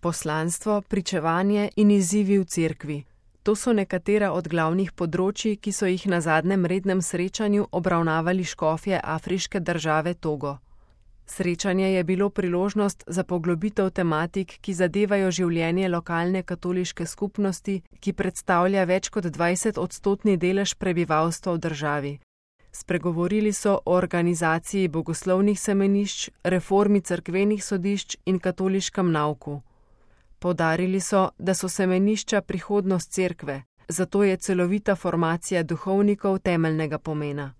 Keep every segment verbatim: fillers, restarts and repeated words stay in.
Poslanstvo, pričevanje in izzivi v cerkvi. To so nekatera od glavnih področij, ki so jih na zadnjem rednem srečanju obravnavali škofje afriške države Togo. Srečanje je bilo priložnost za poglobitev tematik, ki zadevajo življenje lokalne katoliške skupnosti, ki predstavlja več kot dvajset odstotni delež prebivalstva v državi. Spregovorili so o organizaciji bogoslovnih semenišč, reformi cerkvenih sodišč in katoliškem nauku. Poudarili so, da so semenišča prihodnost cerkve, zato je celovita formacija duhovnikov temeljnega pomena.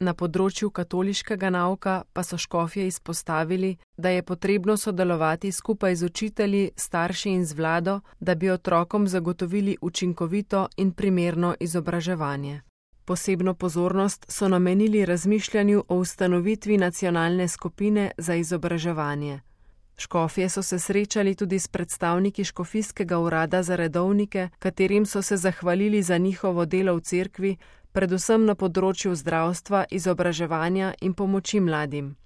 Na področju katoliškega nauka pa so škofje izpostavili, da je potrebno sodelovati skupaj z učitelji, starši in z vlado, da bi otrokom zagotovili učinkovito in primerno izobraževanje. Posebno pozornost so namenili razmišljanju o ustanovitvi nacionalne skupine za izobraževanje. Škofje so se srečali tudi s predstavniki škofijskega urada za redovnike, katerim so se zahvalili za njihovo delo v cerkvi, predvsem na področju zdravstva, izobraževanja in pomoči mladim.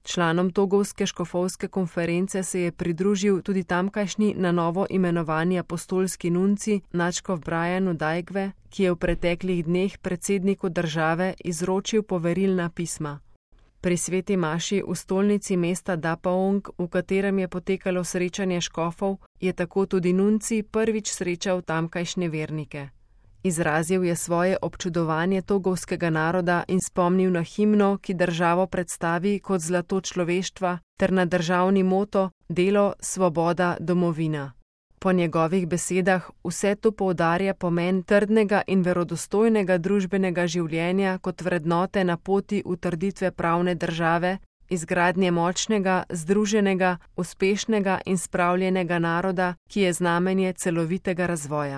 Članom Togovske škofovske konference se je pridružil tudi tamkajšnji na novo imenovani apostolski nunci nadškof Brian Udajgve, ki je v preteklih dneh predsedniku države izročil poverilna pisma. Pri sveti maši v stolnici mesta Dapaong, v katerem je potekalo srečanje škofov, je tako tudi nunci prvič srečal tamkajšnje vernike. Izrazil je svoje občudovanje togovskega naroda in spomnil na himno, ki državo predstavi kot zlato človeštva, ter na državni moto delo, svoboda, domovina. Po njegovih besedah vse to poudarja pomen trdnega in verodostojnega družbenega življenja kot vrednote na poti utrditve pravne države, izgradnje močnega, združenega, uspešnega in spravljenega naroda, ki je znamenje celovitega razvoja.